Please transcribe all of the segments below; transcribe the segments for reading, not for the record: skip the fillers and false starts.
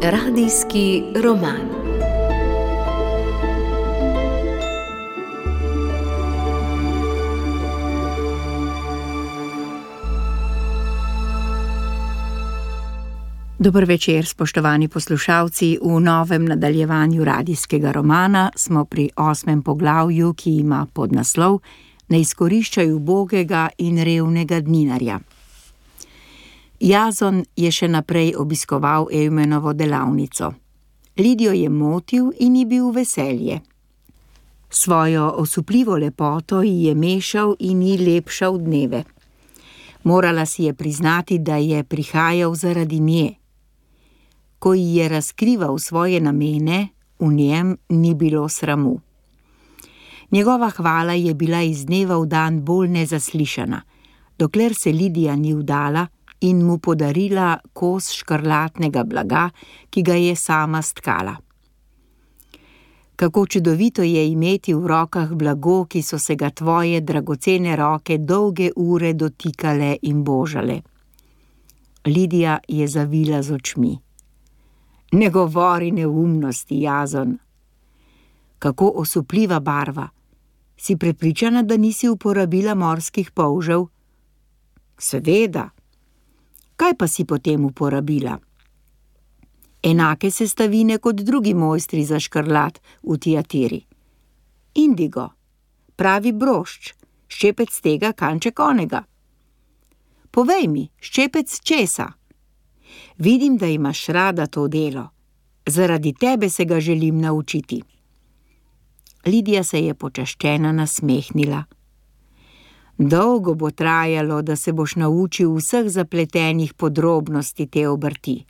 Radijski roman. Dober večer, spoštovani poslušalci. V novem nadaljevanju radijskega romana smo pri 8. poglavju, ki ima podnaslov Ne izkoriščaj ubogega in revnega dninarja. Jazon je še naprej obiskoval Eumenovo delavnico. Lidijo je motil in ji bil veselje. Svojo osupljivo lepoto ji je mešal in ji lepšal dneve. Morala si je priznati, da je prihajal zaradi nje. Ko ji je razkrival svoje namene, v njem ni bilo sramu. Njegova hvala je bila iz dneva v dan bolj nezaslišana, dokler se Lidija ni vdala in mu podarila kos škrlatnega blaga, ki ga je sama stkala. Kako čudovito je imeti v rokah blago, ki so se ga tvoje dragocene roke dolge ure dotikale in božale. Lidija je zavila z očmi. Ne govori neumnosti, Jazon. Kako osupljiva barva. Si prepričana, da nisi uporabila morskih polžev? Seveda. Kaj pa si potem uporabila? Enake sestavine kot drugi mojstri za škrlat v Tiatiri. Indigo, pravi brošč, ščepec tega, kanček onega. Povej mi, ščepec česa? Vidim, da imaš rada to delo. Zaradi tebe se ga želim naučiti. Lidija se je počaščena nasmehnila. Dolgo bo trajalo, da se boš naučil vseh zapletenih podrobnosti te obrti.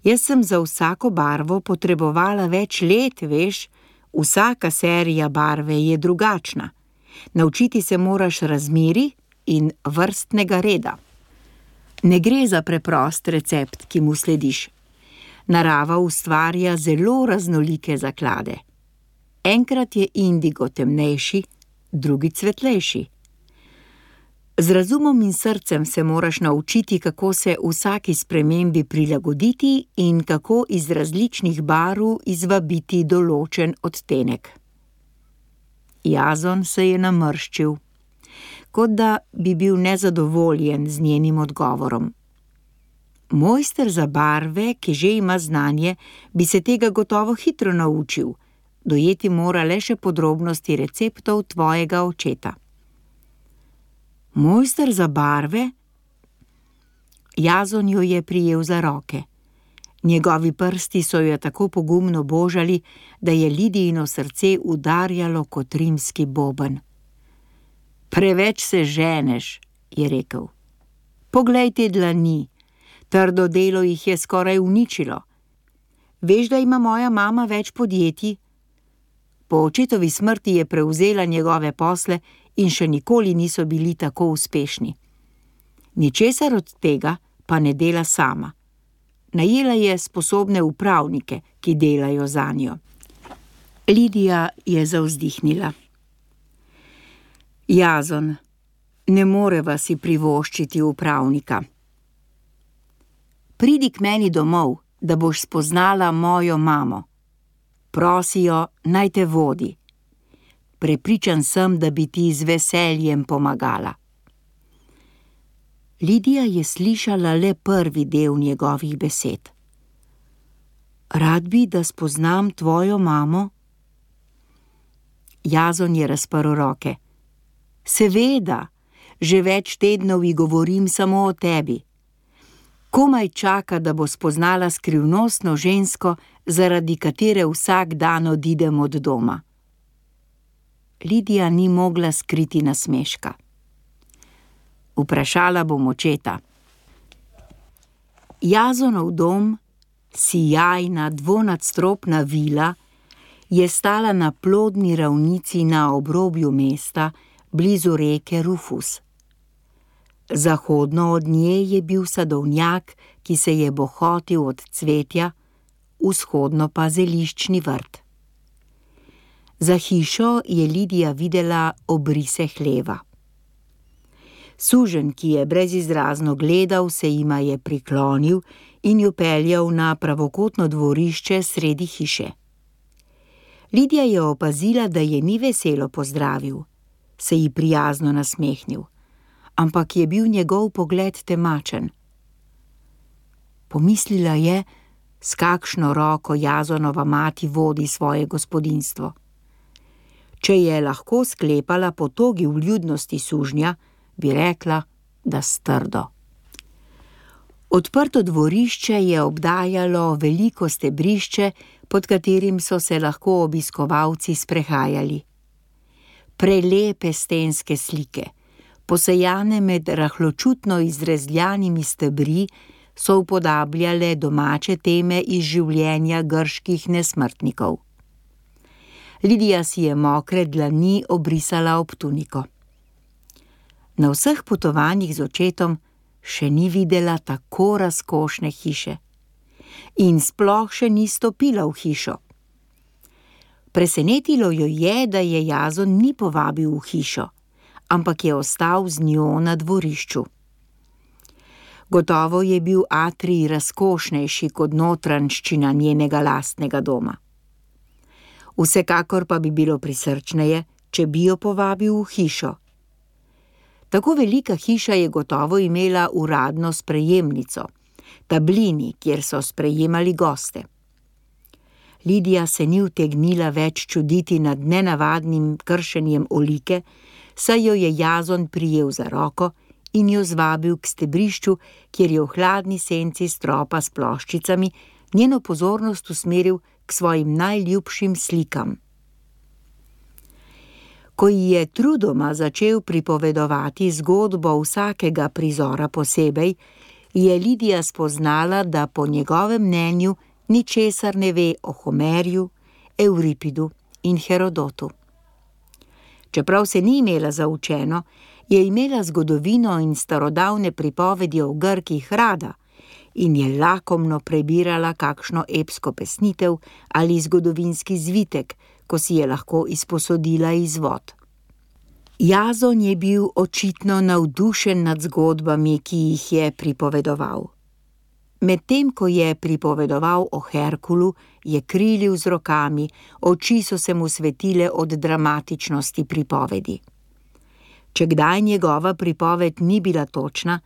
Jaz sem za vsako barvo potrebovala več let, veš, vsaka serija barve je drugačna. Naučiti se moraš razmerij in vrstnega reda. Ne gre za preprost recept, ki mu slediš. Narava ustvarja zelo raznolike zaklade. Enkrat je indigo temnejši, drugi svetlejši. Z razumom in srcem se moraš naučiti, kako se vsaki spremembi prilagoditi in kako iz različnih barv izvabiti določen odtenek. Jazon se je namrščil, kot da bi bil nezadovoljen z njenim odgovorom. Mojster za barve, ki že ima znanje, bi se tega gotovo hitro naučil, dojeti mora le še podrobnosti receptov tvojega očeta. Mojster za barve? Jazon jo je prijel za roke. Njegovi prsti so jo tako pogumno božali, da je Lidijino srce udarjalo kot rimski boben. Preveč se ženeš, je rekel. Poglej te dlani, trdo delo jih je skoraj uničilo. Veš, da ima moja mama več podjetij? Po očetovi smrti je prevzela njegove posle in še nikoli niso bili tako uspešni. Ničesar od tega pa ne dela sama. Najela je sposobne upravnike, ki delajo zanjo. Lidija je zavzdihnila. Jazon, ne moreva si privoščiti upravnika. Pridi k meni domov, da boš spoznala mojo mamo. Prosijo, naj te vodi. Prepričan sem, da bi ti z veseljem pomagala. Lidija je slišala le prvi del njegovih besed. Rad bi, da spoznam tvojo mamo? Jazon je razprl roke. Seveda, že več tednov ji govorim samo o tebi. Komaj čaka, da bo spoznala skrivnostno žensko, zaradi katere vsak dan odidem od doma. Lidija ni mogla skriti nasmeška. Vprašala bom očeta. Jazonov dom, sijajna dvonadstropna vila, je stala na plodni ravnici na obrobju mesta, blizu reke Rufus. Zahodno od nje je bil sadovnjak, ki se je bohotil od cvetja, vzhodno pa zeliščni vrt. Za hišo je Lidija videla obrise hleva. Suženj, ki je brezizrazno gledal, se jima je priklonil in jo peljal na pravokotno dvorišče sredi hiše. Lidija je opazila, da je ni veselo pozdravil, se ji prijazno nasmehnil, ampak je bil njegov pogled temačen. Pomislila je, s kakšno roko Jazonova mati vodi svoje gospodinjstvo. Če je lahko sklepala po togi vljudnosti sužnja, bi rekla, da s trdo. Odprto dvorišče je obdajalo veliko stebrišče, pod katerim so se lahko obiskovalci sprehajali. Prelepe stenske slike, posejane med rahločutno izrezljanimi stebri, so upodabljale domače teme iz življenja grških nesmrtnikov. Lidija si je mokre dlani obrisala ob tuniko. Na vseh potovanjih z očetom še ni videla tako razkošne hiše in sploh še ni stopila v hišo. Presenetilo jo je, da je Jazon ni povabil v hišo, ampak je ostal z njo na dvorišču. Gotovo je bil atrij razkošnejši kot notranjščina njenega lastnega doma. Vsekakor pa bi bilo prisrčneje, če bi jo povabil v hišo. Tako velika hiša je gotovo imela uradno sprejemnico, tablini, kjer so sprejemali goste. Lidija se ni utegnila več čuditi nad nenavadnim kršenjem olike, saj jo je Jazon prijel za roko in jo zvabil k stebrišču, kjer je v hladni senci stropa s ploščicami njeno pozornost usmeril k svojim najljubšim slikam. Ko ji je trudoma začel pripovedovati zgodbo vsakega prizora posebej, je Lidija spoznala, da po njegovem mnenju ničesar ne ve o Homerju, Euripidu in Herodotu. Čeprav se ni imela za učeno, je imela zgodovino in starodavne pripovedi o Grkih rada in je lakomno prebirala kakšno epsko pesnitev ali zgodovinski zvitek, ko si je lahko izposodila izvod. Jazon je bil očitno navdušen nad zgodbami, ki jih je pripovedoval. Medtem ko je pripovedoval o Herkulu, je krilil z rokami, oči so se mu svetile od dramatičnosti pripovedi. Če kdaj njegova pripoved ni bila točna,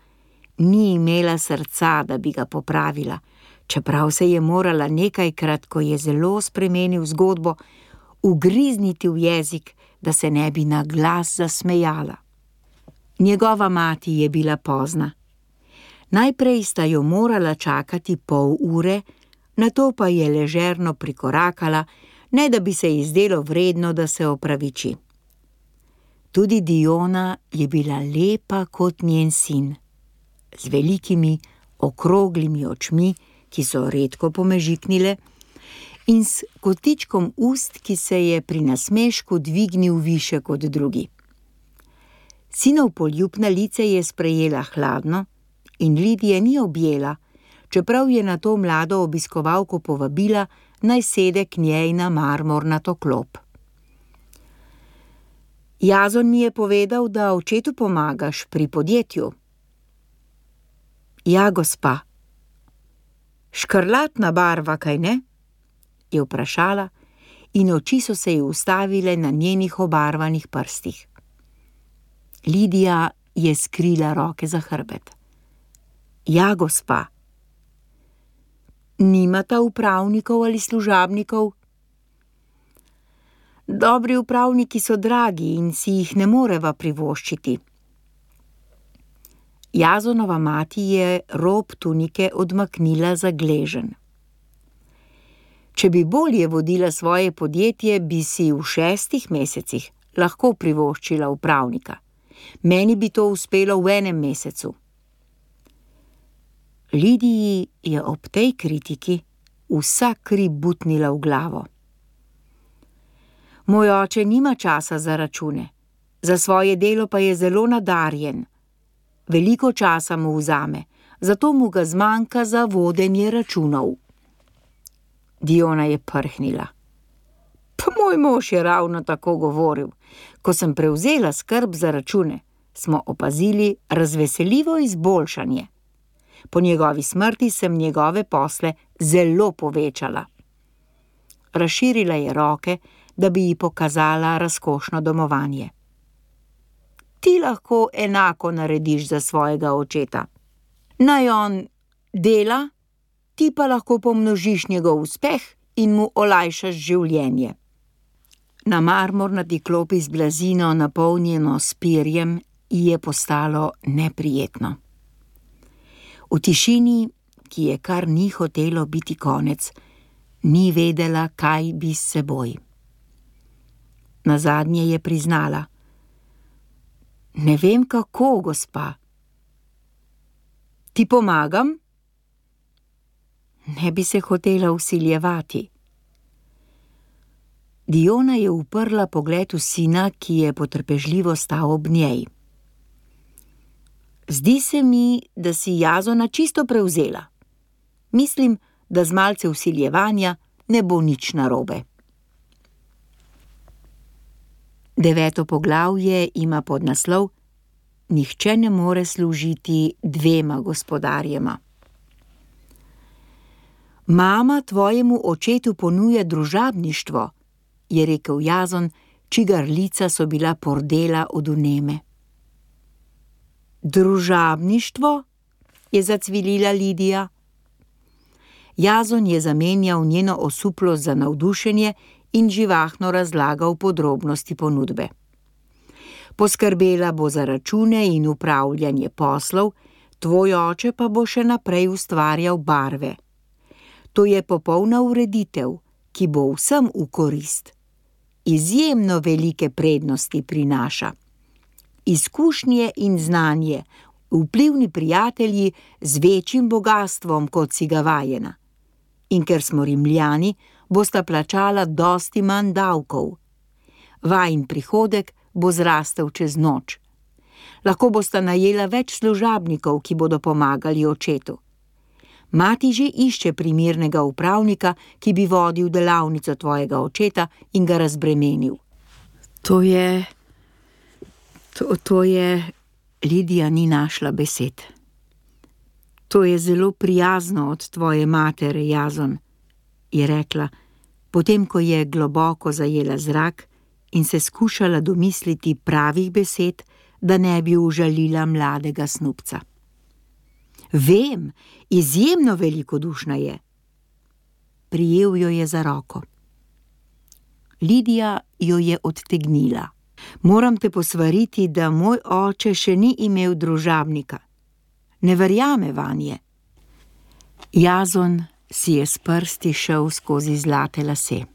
ni imela srca, da bi ga popravila, čeprav se je morala nekajkrat, ko je zelo spremenil zgodbo, ugrizniti v jezik, da se ne bi na glas zasmejala. Njegova mati je bila pozna. Najprej sta jo morala čakati pol ure, nato pa je ležerno prikorakala, ne da bi se ji zdelo vredno, da se opraviči. Tudi Diona je bila lepa kot njen sin, z velikimi, okroglimi očmi, ki so redko pomežiknile, in s kotičkom ust, ki se je pri nasmešku dvignil više kot drugi. Sinov poljub na lice je sprejela hladno in Lidije ni objela, čeprav je na to mlado obiskovalko povabila, naj sede k njej na marmornato klop. Jazon mi je povedal, da očetu pomagaš pri podjetju. Ja, gospa. Škrlatna barva, kaj ne? Je vprašala in oči so se ji ustavile na njenih obarvanih prstih. Lidija je skrila roke za hrbet. Ja, gospa. Nimata upravnikov ali služabnikov? Dobri upravniki so dragi in si jih ne moreva privoščiti. Jazonova mati je rob tunike odmaknila za gleženj. Če bi bolje vodila svoje podjetje, bi si v 6 mesecih lahko privoščila upravnika. Meni bi to uspelo v 1 mesecu. Lidiji je ob tej kritiki vsa kri butnila v glavo. Moj oče nima časa za račune, za svoje delo pa je zelo nadarjen. Veliko časa mu vzame, zato mu ga zmanjka za vodenje računov. Diona je prhnila. Pa moj mož je ravno tako govoril, ko sem prevzela skrb za račune. smo opazili razveseljivo izboljšanje. Po njegovi smrti sem njegove posle zelo povečala. Razširila je roke, da bi ji pokazala razkošno domovanje. Ti lahko enako narediš za svojega očeta. Naj on dela, ti pa lahko pomnožiš njegov uspeh in mu olajšaš življenje. Na marmornati klopi z blazino, napolnjeno s perjem, ji je postalo neprijetno. V tišini, ki je kar ni hotelo biti konec, ni vedela, kaj bi s seboj. Nazadnje je priznala: Ne vem kako, gospa. Ti pomagam? Ne bi se hotela vsiljevati. Diona je uprla pogled v sina, ki je potrpežljivo stal ob njej. Zdi se mi, da si Jazona čisto prevzela. Mislim, da z malce vsiljevanja ne bo nič narobe. 9. poglavje ima podnaslov Nihče ne more služiti dvema gospodarjema. Mama tvojemu očetu ponuja družabništvo, je rekel Jazon, čigar lica so bila pordela od vneme. Družabništvo? Je zacvilila Lidija. Jazon je zamenjal njeno osuplost za navdušenje in živahno razlagal podrobnosti ponudbe. Poskrbela bo za račune in upravljanje poslov, tvoj oče pa bo še naprej ustvarjal barve. To je popolna ureditev, ki bo vsem v korist. Izjemno velike prednosti prinaša. Izkušnje in znanje, vplivni prijatelji z večjim bogastvom, kot si ga vajena. In ker smo Rimljani, bosta plačala dosti manj davkov. Vajin prihodek bo zrastel čez noč. Lahko bosta najela več služabnikov, ki bodo pomagali očetu. Mati že išče primernega upravnika, ki bi vodil delavnico tvojega očeta in ga razbremenil. To je... Lidija ni našla besed. To je zelo prijazno od tvoje matere, Jazon, je rekla, potem ko je globoko zajela zrak in se skušala domisliti pravih besed, da ne bi užalila mladega snubca. Vem, izjemno velikodušna je. Prijel jo je za roko. Lidija jo je odtegnila. Moram te posvariti, da moj oče še ni imel družabnika. Ne verjame vanje. Jazon si je s prsti šel skozi zlate lase.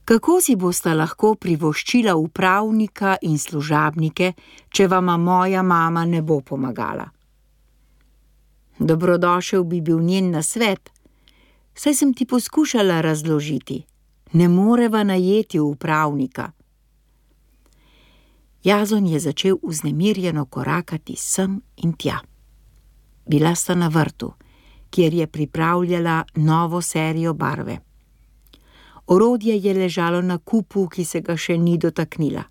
Kako si bosta lahko privoščila upravnika in služabnike, če vama moja mama ne bo pomagala? Dobrodošel bi bil njen nasvet, saj sem ti poskušala razložiti. Ne moreva najeti upravnika. Jazon je začel vznemirjeno korakati sem in tja. Bila sta na vrtu, kjer je pripravljala novo serijo barve. Orodje je ležalo na kupu, ki se ga še ni dotaknila.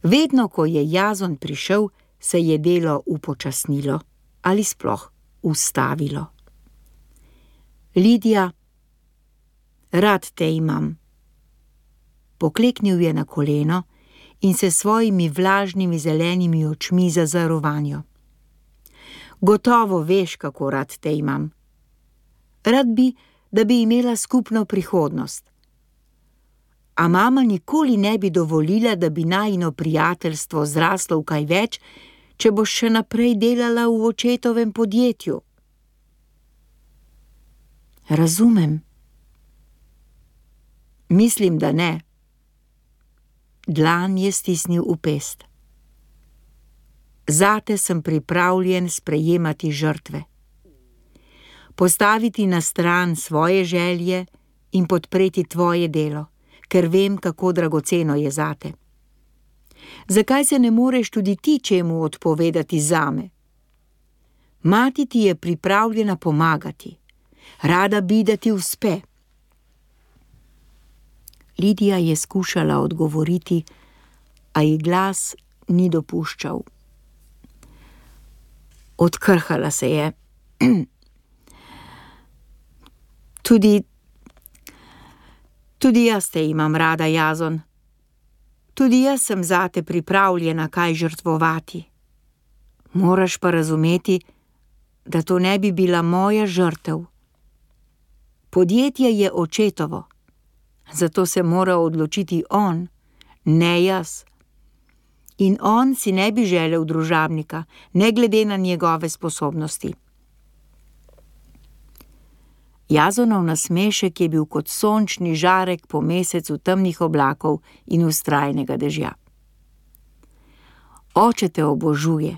Vedno, ko je Jazon prišel, se je delo upočasnilo ali sploh ustavilo. Lidija, rad te imam. Pokleknil je na koleno in se svojimi vlažnimi zelenimi očmi zazrl vanjo. Gotovo veš, kako rad te imam. Rad bi, da bi imela skupno prihodnost. A mama nikoli ne bi dovolila, da bi najino prijateljstvo zraslo v kaj več, če boš še naprej delala v očetovem podjetju. Razumem. Mislim, da ne. Dlan je stisnil v pest. Zate sem pripravljen sprejemati žrtve. Postaviti na stran svoje želje in podpreti tvoje delo, ker vem, kako dragoceno je zate. Zakaj se ne moreš tudi ti čemu odpovedati zame? Mati ti je pripravljena pomagati. Rada bi, da ti uspe. Lidija je skušala odgovoriti, a ji glas ni dopuščal. Odkrhala se je. Tudi jaz te imam rada, Jazon. Tudi jaz sem zate pripravljena kaj žrtvovati. Moraš pa razumeti, da to ne bi bila moja žrtev. Podjetje je očetovo, zato se mora odločiti on, ne jaz. In on si ne bi želel družabnika, ne glede na njegove sposobnosti. Jazonov nasmešek je bil kot sončni žarek po mesecu temnih oblakov in vztrajnega dežja. Oče te obožuje,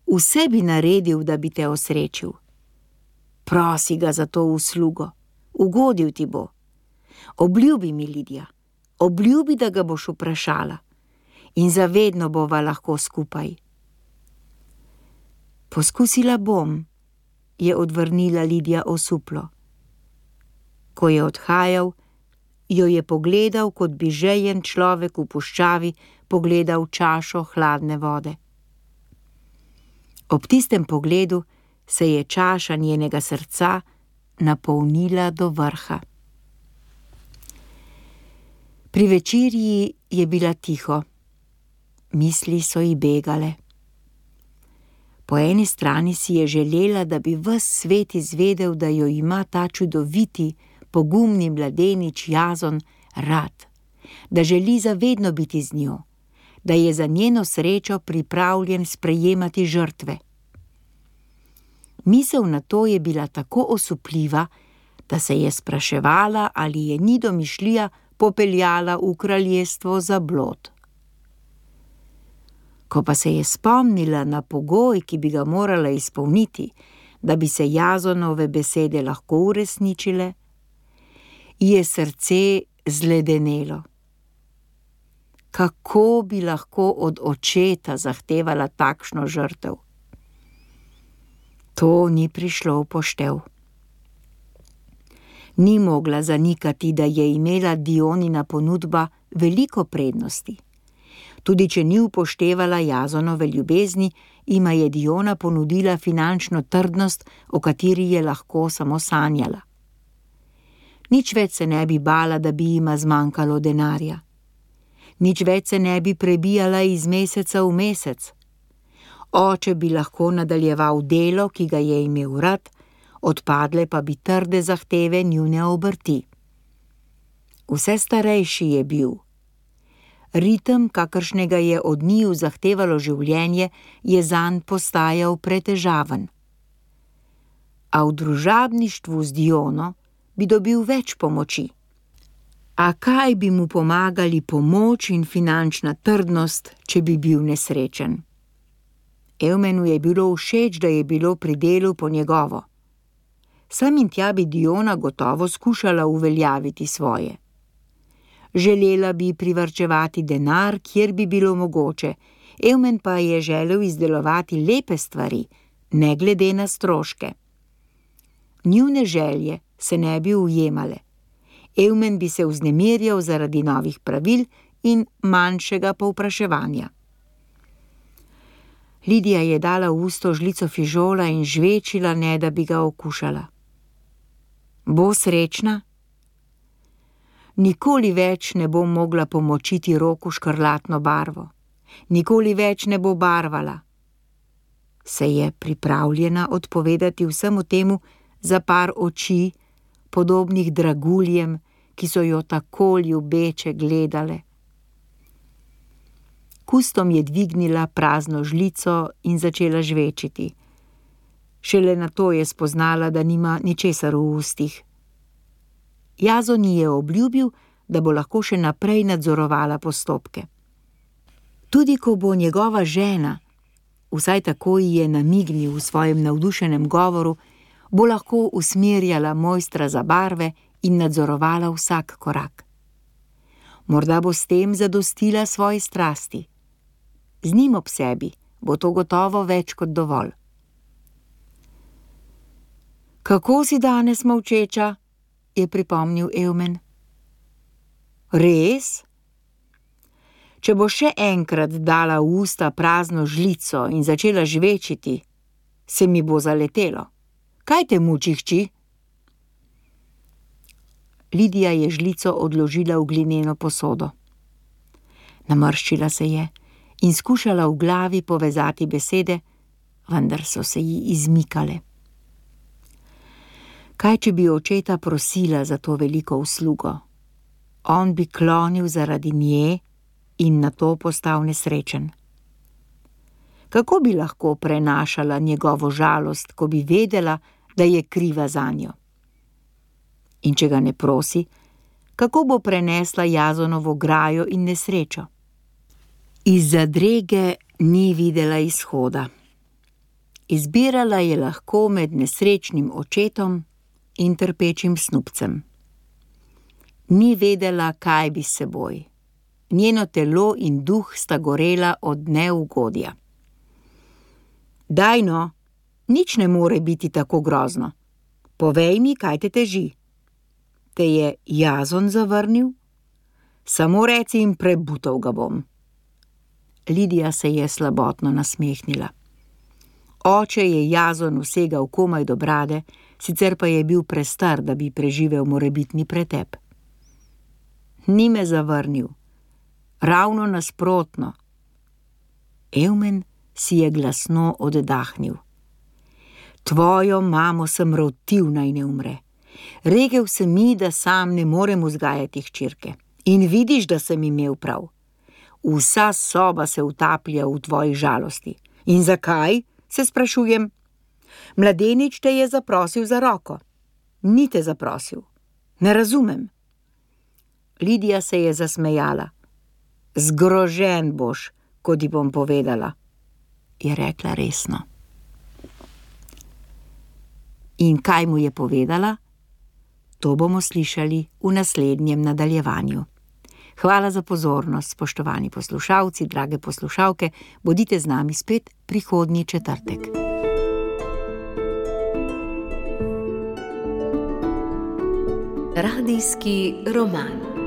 vse bi naredil, da bi te osrečil. Prosi ga za to uslugo, ugodil ti bo. Obljubi mi, Lidija, obljubi, da ga boš vprašala in zavedno bova lahko skupaj. Poskusila bom, je odvrnila Lidija osuplo. Ko je odhajal, jo je pogledal, kot bi žejen človek v puščavi pogledal čašo hladne vode. Ob tistem pogledu se je čaša njenega srca napolnila do vrha. Pri večerji je bila tiho. Misli so ji begale. Po eni strani si je želela, da bi ves svet izvedel, da jo ima ta čudoviti, pogumni mladenič Jazon rad, da želi zavedno biti z njo, da je za njeno srečo pripravljen sprejemati žrtve. Misel na to je bila tako osupljiva, da se je spraševala, ali je ni domišljija popeljala v kraljestvo za blod. Ko pa se je spomnila na pogoj, ki bi ga morala izpolniti, da bi se Jazonove besede lahko uresničile, je srce zledenelo. Kako bi lahko od očeta zahtevala takšno žrtev? To ni prišlo v poštev. Ni mogla zanikati, da je imela Dionina ponudba veliko prednosti. Tudi če ni upoštevala Jazonove ljubezni, ima je Diona ponudila finančno trdnost, o kateri je lahko samo sanjala. Nič več se ne bi bala, da bi jima zmanjkalo denarja. Nič več se ne bi prebijala iz meseca v mesec. Oče bi lahko nadaljeval delo, ki ga je imel rad, odpadle pa bi trde zahteve njune obrti. Vse starejši je bil. Ritem, kakršnega je od njiju zahtevalo življenje, je zanj postajal pretežaven. A v družabništvu z Diono bi dobil več pomoči. A kaj bi mu pomagali pomoč in finančna trdnost, če bi bil nesrečen? Eumenu je bilo všeč, da je bilo pri delu po njegovo. Sem in tja bi Diona gotovo skušala uveljaviti svoje. Želela bi privarčevati denar, kjer bi bilo mogoče, Eumen pa je želel izdelovati lepe stvari, ne glede na stroške. Njune želje se ne bi ujemale. Eumen bi se vznemirjal zaradi novih pravil in manjšega povpraševanja. Lidija je dala v usto žlico fižola in žvečila, ne da bi ga okušala. Bo srečna? Nikoli več ne bo mogla pomočiti Roku škrlatno barvo. Nikoli več ne bo barvala. Se je pripravljena odpovedati vsemu temu za par oči, podobnih draguljem, ki so jo tako ljubeče gledale. Kustom je dvignila prazno žlico in začela žvečiti. Šele nato je spoznala, da nima ničesar v ustih. Jazon ji je obljubil, da bo lahko še naprej nadzorovala postopke. Tudi ko bo njegova žena, vsaj tako ji je namignil v svojem navdušenem govoru, bo lahko usmerjala mojstra za barve in nadzorovala vsak korak. Morda bo s tem zadostila svoji strasti. Z njim ob sebi bo to gotovo več kot dovolj. Kako si danes molčeča? Je pripomnil Eumen. Res? Če bo še enkrat dala v usta prazno žlico in začela žvečiti, se mi bo zaletelo. Kaj te muči, hči? Lidija je žlico odložila v glineno posodo. Namrščila se je in skušala v glavi povezati besede, vendar so se ji izmikale. Kaj, če bi očeta prosila za to veliko uslugo? On bi klonil zaradi nje in nato postal nesrečen. Kako bi lahko prenašala njegovo žalost, ko bi vedela, da je kriva zanjo? In če ga ne prosi, kako bo prenesla Jazonovo grajo in nesrečo? Iz zadrege ni videla izhoda. Izbirala je lahko med nesrečnim očetom in trpečim snubcem. Ni vedela, kaj bi s seboj. Njeno telo in duh sta gorela od neugodja. Daj no, nič ne more biti tako grozno. Povej mi, kaj te teži. Te je Jazon zavrnil? Samo reci in prebutal ga bom. Lidija se je slabotno nasmehnila. Oče je Jazon vsegal komaj do brade, sicer pa je bil prestar, da bi preživel morebitni pretep. Ni me zavrnil, ravno nasprotno. Evmen si je glasno oddahnil. Tvojo mamo sem rotil, naj ne umre. Rekel sem mi, da sam ne morem vzgajati hčerke. In vidiš, da sem imel prav. Vsa soba se utaplja v tvoji žalosti. In zakaj, se sprašujem? Mladenič te je zaprosil za roko. Ni te zaprosil. Ne razumem. Lidija se je zasmejala. Zgrožen boš, ko ti bom povedala, je rekla resno. In kaj mu je povedala? To bomo slišali v naslednjem nadaljevanju. Hvala za pozornost, spoštovani poslušalci, drage poslušalke, bodite z nami spet prihodnji četrtek. Radijski roman.